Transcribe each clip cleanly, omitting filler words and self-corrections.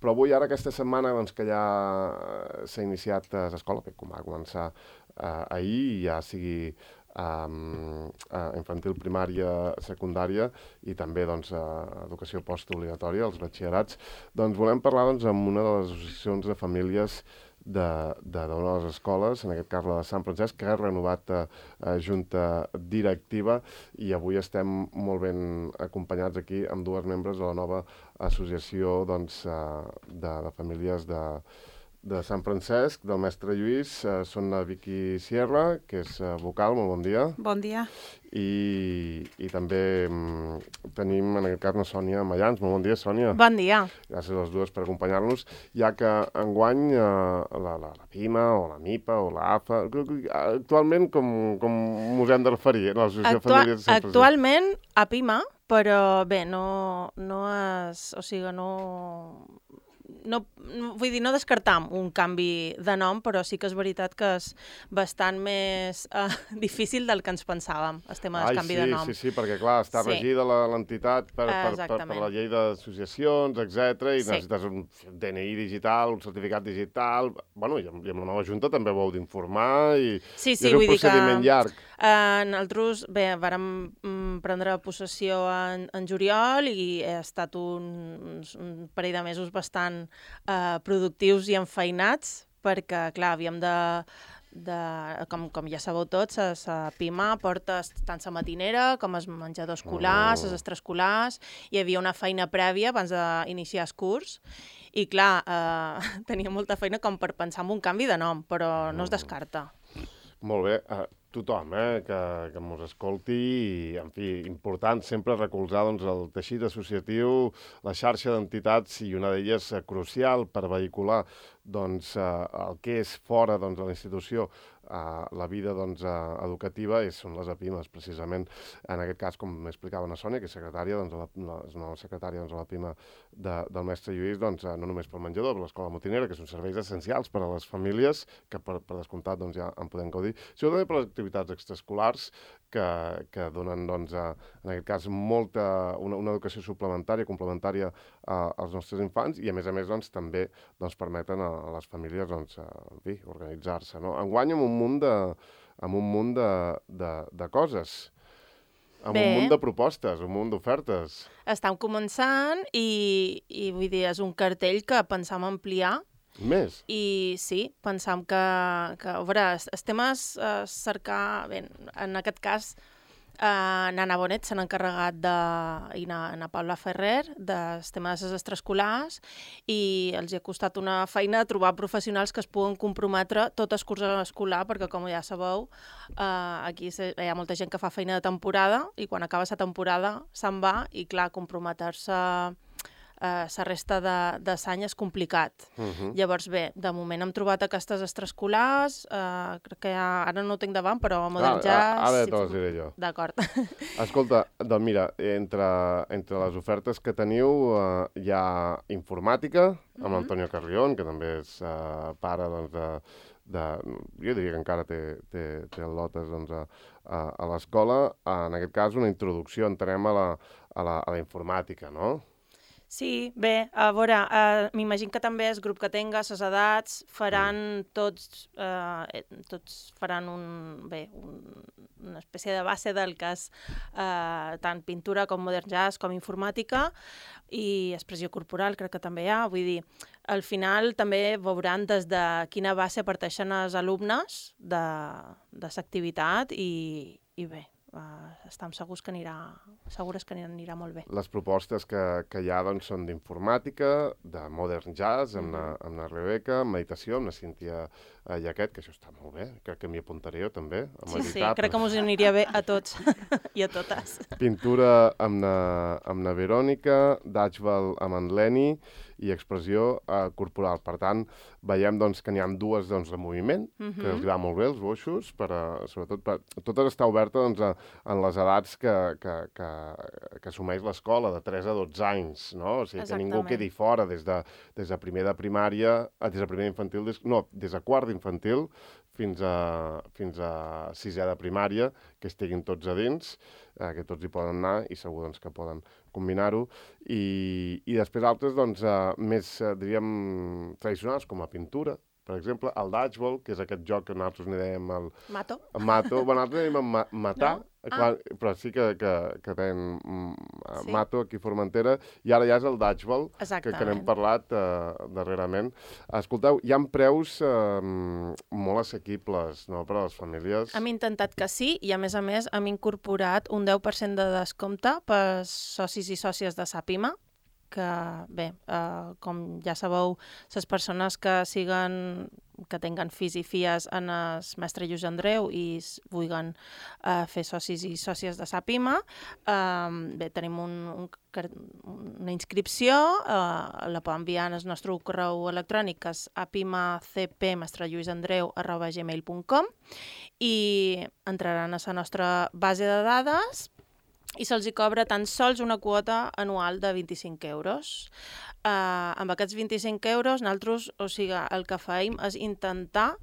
Però avui, ara, aquesta setmana, doncs, que ja s'ha iniciat a l'escola, com va començar ahir, ja sigui infantil, primària, secundària i també doncs, educació postobligatòria, els batxillerats, doncs volem parlar amb una de les associacions de famílies d'una de les escoles, en aquest cas la de Sant Francesc, que ha renovat junta directiva i avui estem molt ben acompanyats aquí amb dues membres de la nova associació de famílies de Sant Francesc, del mestre Lluís. Són la Vicky Sierra, que és vocal, molt bon dia. Bon dia. I també tenim, en aquest cas, la Sònia Mayans. Molt bon dia, Sònia. Bon dia. Gràcies a les dues per acompanyar-nos, ja que enguany la PIMA o la MIPA o la AFA, actualment com us hem de referir, l'Associació de Famílies de Sant Francesc? Actualment a PIMA, però bé, no és... O sigui, vull dir, no descartam un canvi de nom, però sí que és veritat que és bastant més difícil del que ens pensàvem, el tema del canvi de nom. Sí, perquè clar, està regida l'entitat per la llei d'associacions, etc. I necessites un DNI digital, un certificat digital... Bueno, i amb la nova Junta també ho heu d'informar i és un procediment llarg. Nosaltres, bé, vàrem prendre possessió en juliol i ha estat un parell de mesos bastant productius i enfeinats, perquè, clar, havíem com ja sabeu tots, la PIMA porta tant la matinera com els menjadors escolars, els extraescolars, hi havia una feina prèvia abans d'iniciar el curs, i clar, tenia molta feina com per pensar en un canvi de nom, però no es descarta. Molt bé. Tothom que ens escolti, i, en fi, important sempre recolzar el teixit associatiu, la xarxa d'entitats, i una d'elles crucial per vehicular el que és fora de la institució, la vida educativa, són les APIMES, precisament. En aquest cas, com m'explicava la Sònia, que és secretària, és nova secretària de la PIMA del mestre Lluís, no només pel menjador, per l'escola motinera, que són serveis essencials per a les famílies, que per descomptat ja en podem gaudir, sinó també per les activitats extraescolars, que donen, en aquest cas, una educació suplementària, complementària als nostres infants, i a més també permeten a les famílies organitzar-se. Enguany amb un munt de coses, amb un munt de propostes, un munt d'ofertes. Estem començant i vull dir, és un cartell que pensam ampliar. Més? I sí, pensam que a veure, el tema és cercar, bé, en aquest cas, Nana Bonet s'han encarregat i na Paula Ferrer del tema de les extraescolars, i els ha costat una feina trobar professionals que es puguen comprometre tot el curs escolar, perquè com ja sabeu, aquí hi ha molta gent que fa feina de temporada i quan acaba la temporada se'n va, i clar, comprometre-se la resta de l'any és complicat. Llavors, bé, de moment hem trobat aquestes extraescolars, crec que ara no ho tinc davant, però Modern Jazz... Ara te les diré jo. D'acord. Escolta, doncs mira, entre les ofertes que teniu hi ha informàtica, amb l'Antonio Carrión, que també és pare jo diria que encara té el lotes a l'escola. En aquest cas, una introducció, entenem, a la informàtica, no? Sí, bé, a veure, m'imagino que també el grup que tenga, les edats, faran tots faran una espècie de base del que és tant pintura com Modern Jazz com informàtica, i expressió corporal crec que també hi ha. Vull dir, al final també veuran des de quina base parteixen els alumnes de l'activitat, i bé, estem segurs que anirà molt bé. Les propostes que hi ha són d'informàtica, de Modern Jazz, amb la Rebeca, meditació, amb la Cíntia Jaquet, que això està molt bé, crec que m'hi apuntaré jo també. Sí, crec que m'us aniria bé a tots i a totes. Pintura amb la Verònica, Dutchball amb en Leni, i expressió corporal. Per tant, veiem que n'hi ha dues de moviment, que els va molt bé, els boixos, sobretot totes està oberta en les edats que assumeix l'escola, de 3 a 12 anys, no? O sigui, que ningú quedi fora des de primer de primària, des de primer infantil, des de quart d'infantil fins a sisè de primària, que estiguin tots a dins, que tots hi poden anar i segur que poden combinar-ho, i després altres, doncs, més, diríem, tradicionals, com la pintura, per exemple, el dodgeball, que és aquest joc que nosaltres n'hi dèiem el... Mato. Mato, bueno, nosaltres n'hi dèiem matar, No? clar, però sí que tenen mato aquí a Formentera, i ara ja és el dodgeball, que n'hem parlat darrerament. Escolteu, hi ha preus molt assequibles, no?, per a les famílies. Hem intentat que sí, i a més hem incorporat un 10% de descompte per socis i sòcies de Sapima, que, bé, com ja sabeu, les persones que tinguen fills i filles en el mestre Lluís Andreu i vulguin fer socis i sòcies de Sapima, bé, tenim una inscripció, la poden enviar en el nostre correu electrònic, que és apimacpmestrelluisandreu@gmail.com, i entraran a la nostra base de dades i se'ls hi cobra tan sols una quota anual de 25 euros. Amb aquests 25 euros, nosaltres, o sigui, el que fem és intentar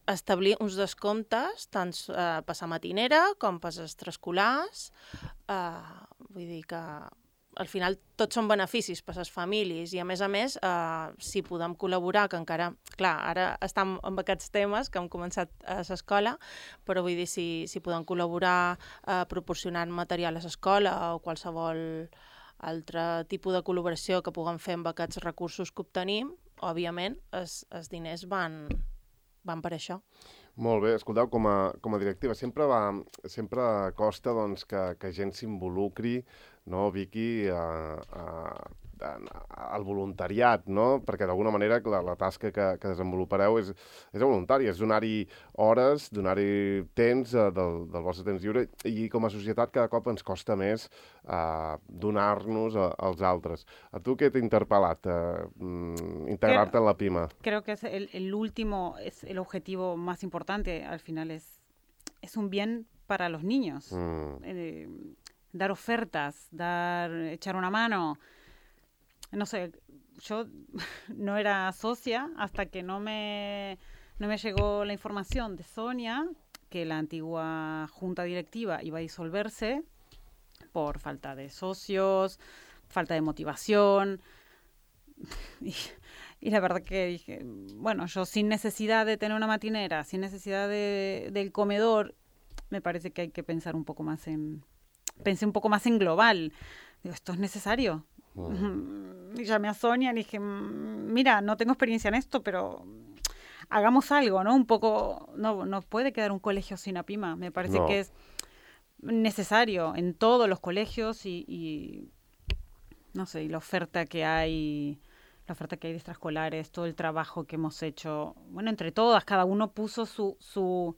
establir uns descomptes tant per la matinera com per les extraescolars. Vull dir que al final tots són beneficis per a les famílies i, a més, si podem col·laborar, que encara, clar, ara estem amb aquests temes que hem començat a l'escola, però vull dir, si podem col·laborar proporcionant material a l'escola o qualsevol altre tipus de col·laboració que puguem fer amb aquests recursos que obtenim, òbviament, els diners van per això. Molt bé, escolteu, com a directiva, sempre costa, doncs, que gent s'involucri, no, Vicky, al voluntariat, no? Perquè d'alguna manera la tasca que desenvolupareu és voluntària, és donar-hi hores, donar-hi temps del vostre temps lliure, i com a societat cada cop ens costa més donar-nos als altres. A tu què t'ha interpel·lat integrar-te en la PIMA? Creo que es el último, es el objetivo más importante, al final es un bien para los niños. Dar ofertas, echar una mano. No sé, yo no era socia hasta que no me llegó la información de Sonia que la antigua junta directiva iba a disolverse por falta de socios, falta de motivación. Y la verdad que dije, bueno, yo sin necesidad de tener una matinera, sin necesidad del comedor, me parece que hay que pensar un poco más pensé un poco más en global. Digo, ¿esto es necesario? Y llamé a Sonia y le dije, mira, no tengo experiencia en esto, pero hagamos algo, ¿no? Un poco, no puede quedar un colegio sin APIMA. Me parece que es necesario en todos los colegios y no sé, y la oferta que hay de extraescolares, todo el trabajo que hemos hecho, bueno, entre todas, cada uno puso su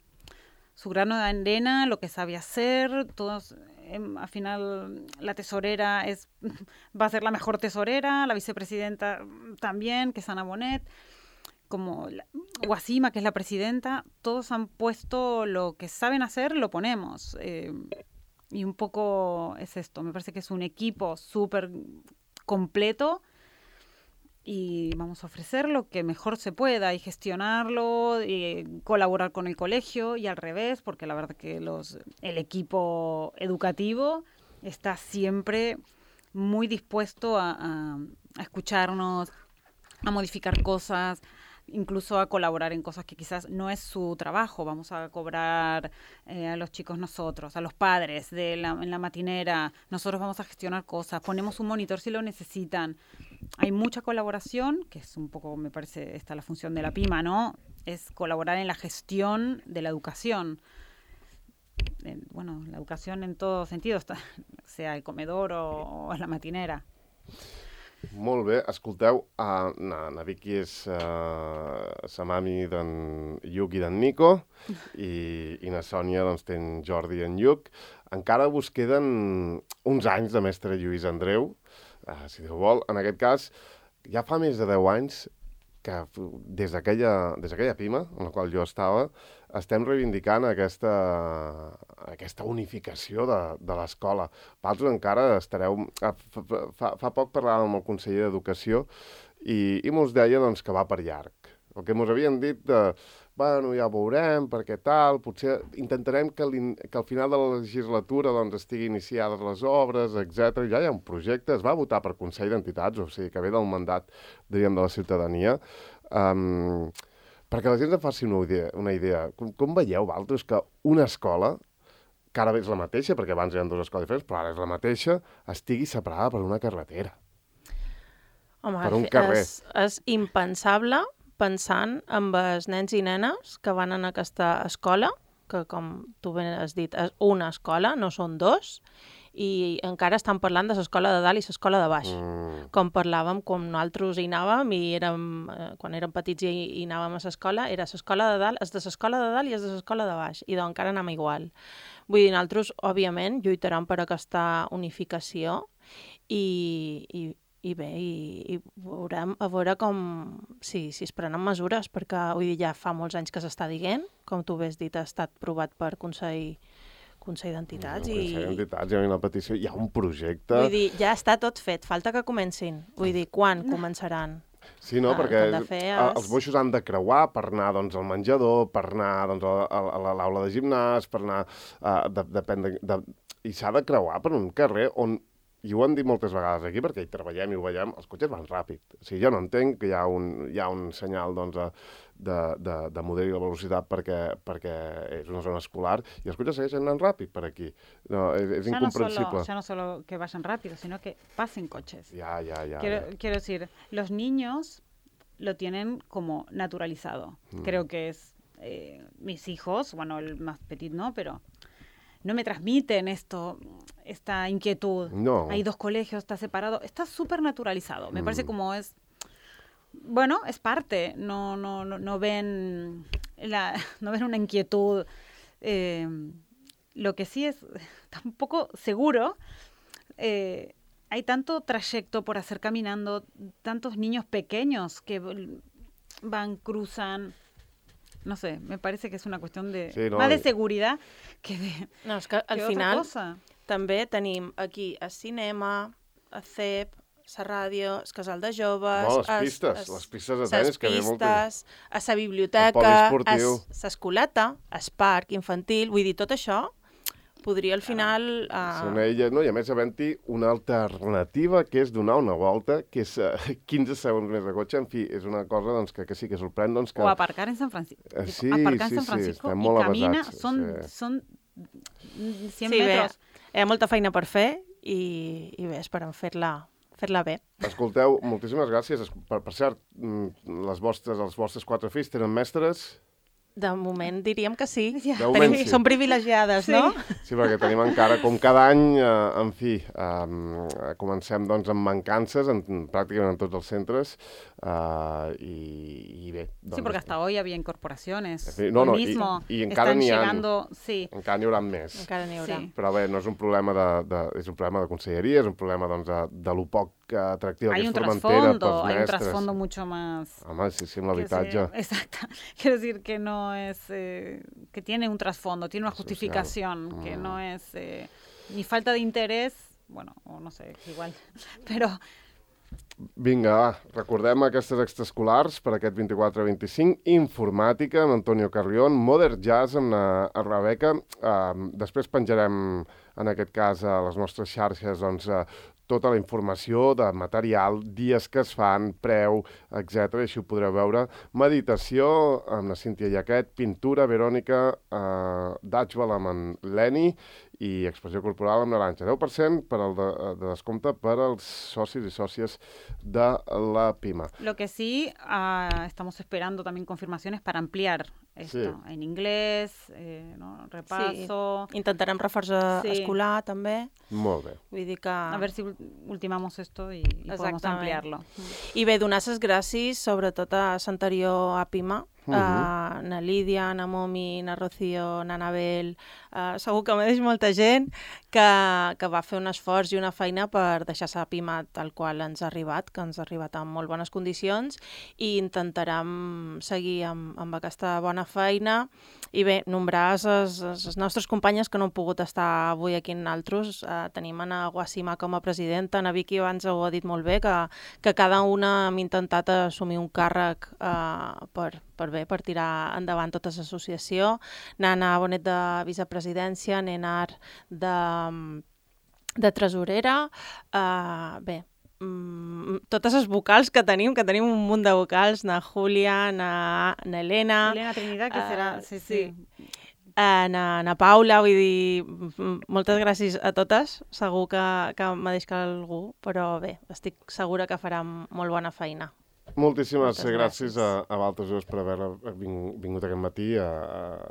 grano de arena, lo que sabe hacer, todos, al final la tesorera va a ser la mejor tesorera, la vicepresidenta también, que es Ana Bonet, como Guasima, que es la presidenta, todos han puesto lo que saben hacer, lo ponemos. Y un poco es esto, me parece que es un equipo súper completo y vamos a ofrecer lo que mejor se pueda y gestionarlo y colaborar con el colegio y al revés, porque la verdad que el equipo educativo está siempre muy dispuesto a escucharnos, a modificar cosas, incluso a colaborar en cosas que quizás no es su trabajo. Vamos a cobrar a los chicos nosotros, a los padres en la matinera, nosotros vamos a gestionar cosas, ponemos un monitor si lo necesitan. Hay mucha colaboración, que es un poco, me parece, esta la función de la PIMA, ¿no? Es colaborar en la gestión de la educación. Bueno, la educación en todos sentidos, sea el comedor o la matinera. Molt bé, escolteu, na Vicky és sa mami d'en Lluc i d'en Nico i na Sònia doncs té en Jordi i en Lluc. Encara vos queden uns anys de mestre Lluís Andreu, si Déu vol. En aquest cas, ja fa més de 10 anys que des d'aquella PIMA, en la qual jo estava, estem reivindicant aquesta unificació de l'escola. Vosaltres encara estareu... Fa poc parlàvem amb el conseller d'Educació i mos deia doncs, que va per llarg. el que ens havien dit bueno, ja ho veurem, perquè tal, potser intentarem que al final de la legislatura doncs, estigui iniciades les obres, etc. Ja hi ha un projecte, es va votar per Consell d'Entitats, o sigui, que ve del mandat, diríem, de la ciutadania. Perquè la gent en faci una idea. Com veieu, vosaltres, que una escola, que ara és la mateixa, perquè abans hi ha dues escoles diferents, però ara és la mateixa, estigui separada per una carretera? Home, per un carrer. És impensable pensant en els nens i nenes que van en aquesta escola, que com tu ben has dit, és una escola, no són dos, i encara estan parlant de l'escola de dalt i l'escola de baix. Com parlàvem, com nosaltres hi anàvem, i quan érem petits i anàvem a l'escola, era l'escola de dalt, és de l'escola de dalt i és de l'escola de baix, i doncs encara anem igual. Vull dir, nosaltres, òbviament, lluitarem per aquesta unificació i bé, i veurem a veure com si es prenen mesures, perquè vull dir, ja fa molts anys que s'està dient, com tu bé has dit, ha estat provat per Consell d'Entitats. Consell d'Entitats, hi ha una petició, hi ha un projecte... Vull dir, ja està tot fet, falta que comencin. Vull dir, quan començaran? Sí, no, perquè els boixos han de creuar per anar doncs, al menjador, per anar doncs, a l'aula de gimnàs, per anar... I s'ha de creuar per un carrer on, i ho han dit moltes vegades aquí, perquè hi treballem i ho veiem, els cotxes van ràpid. O sigui, jo no entenc que hi ha un senyal doncs, de model i de velocitat perquè és una zona escolar i els cotxes segueixen anant ràpid per aquí. No, és incomprensible. Ya no solo que vayan rápido, sino que pasen coches. Ya. Quiero decir, los niños lo tienen como naturalizado. Creo que es mis hijos, bueno, el más petit no, pero no me transmiten esta inquietud. No. Hay dos colegios, está separado. Está súper naturalizado. Me parece como es... Bueno, es parte. No ven una inquietud. Lo que sí es tampoco seguro. Hay tanto trayecto por hacer caminando, tantos niños pequeños que cruzan... No sé, me parece que es una cuestión más de seguridad que de... No, és que al final també tenim aquí el cinema, el CEP, la ràdio, el casal de joves... No, les pistes de tenis que ve molt... la biblioteca, l'escoleta, el parc infantil... Vull dir, tot això podria al final... No, i a més havent-hi una alternativa que és donar una volta, que és 15 segons més de cotxe. En fi, és una cosa doncs, que sí que sorprèn. Doncs, que... O aparcar en San Francisco. Sí, Francisco estem molt camina, avasats. Són 100 metros. Bé, hi ha molta feina per fer i bé, esperem fer-la bé. Escolteu, moltíssimes gràcies. Per cert, els vostres 4 fills tenen mestres... De moment diríem que sí. Som privilegiades, no? Sí, perquè tenim encara, com cada any, en fi, comencem doncs, amb mancances pràcticament en tots els centres i bé. Doncs, sí, porque hasta hoy había incorporaciones. Hoy mismo y encara están llegando... Sí. Encara n'hi haurà més. Encara n'hi haurà. Sí. Però bé, no és un problema és un problema de conselleria, és un problema doncs, de lo poc atractiva que és Formentera pels mestres. Hay un trasfondo mucho más... Home, sí, amb l'habitatge. Exacto. Quiero decir que no es... que tiene un trasfondo, tiene una justificación, que no es ni falta de interés, bueno, o no sé, igual, però... Vinga, va, recordem aquestes extraescolars per aquest 24-25, informàtica amb Antonio Carrión, Modern Jazz amb la Rebeca, després penjarem en aquest cas a les nostres xarxes doncs, tota la informació de material, dies que es fan, preu, etc. Així ho podreu veure. Meditació amb la Cíntia Jaquet, pintura, Verònica, Dutchwell amb en Leni i expressió corporal amb Naranja. 10% de descompte per als socis y sòcies de la PIMA. Lo que sí, estamos esperando también confirmaciones para ampliar esto en inglés, ¿no? Repaso. Sí. Intentarem reforç escolar també. Molt bé. Vull dir que... A ver si ultimamos esto y podemos ampliarlo. I bé, donar les gràcies sobretot a l'anterior APIMA, na Lídia, na Momi, na Rocío, na Anabel, segur que m'he deixat molta gent que va fer un esforç i una feina per deixar la Pima tal qual ens ha arribat, que ens ha arribat en molt bones condicions, i intentarem seguir amb aquesta bona feina. I bé, nombrar les nostres companyes que no han pogut estar avui aquí en altres. Tenim a Guasima com a presidenta, na Vicky abans ho ha dit molt bé, que cada una hem intentat assumir un càrrec per tirar endavant tota l'associació. Nana Bonet de vicepresidència, Nenar de tresorera. Bé, totes les vocals que tenim un munt de vocals, na Júlia, na Elena... Elena Trinidad, que serà... Sí. Na Paula, vull dir, moltes gràcies a totes. Segur que m'ha deixat algú, però bé, estic segura que farà molt bona feina. Moltíssimes gràcies a vosaltres dos per haver vingut aquest matí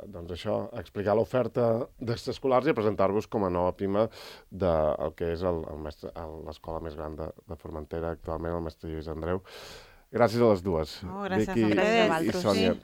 doncs això, a explicar l'oferta d'extraescolars i a presentar-vos com a nova Pima del que és l'escola més gran de Formentera actualment, el mestre Lluís Andreu. Gràcies a les dues, Gràcies Vicky a i Sònia.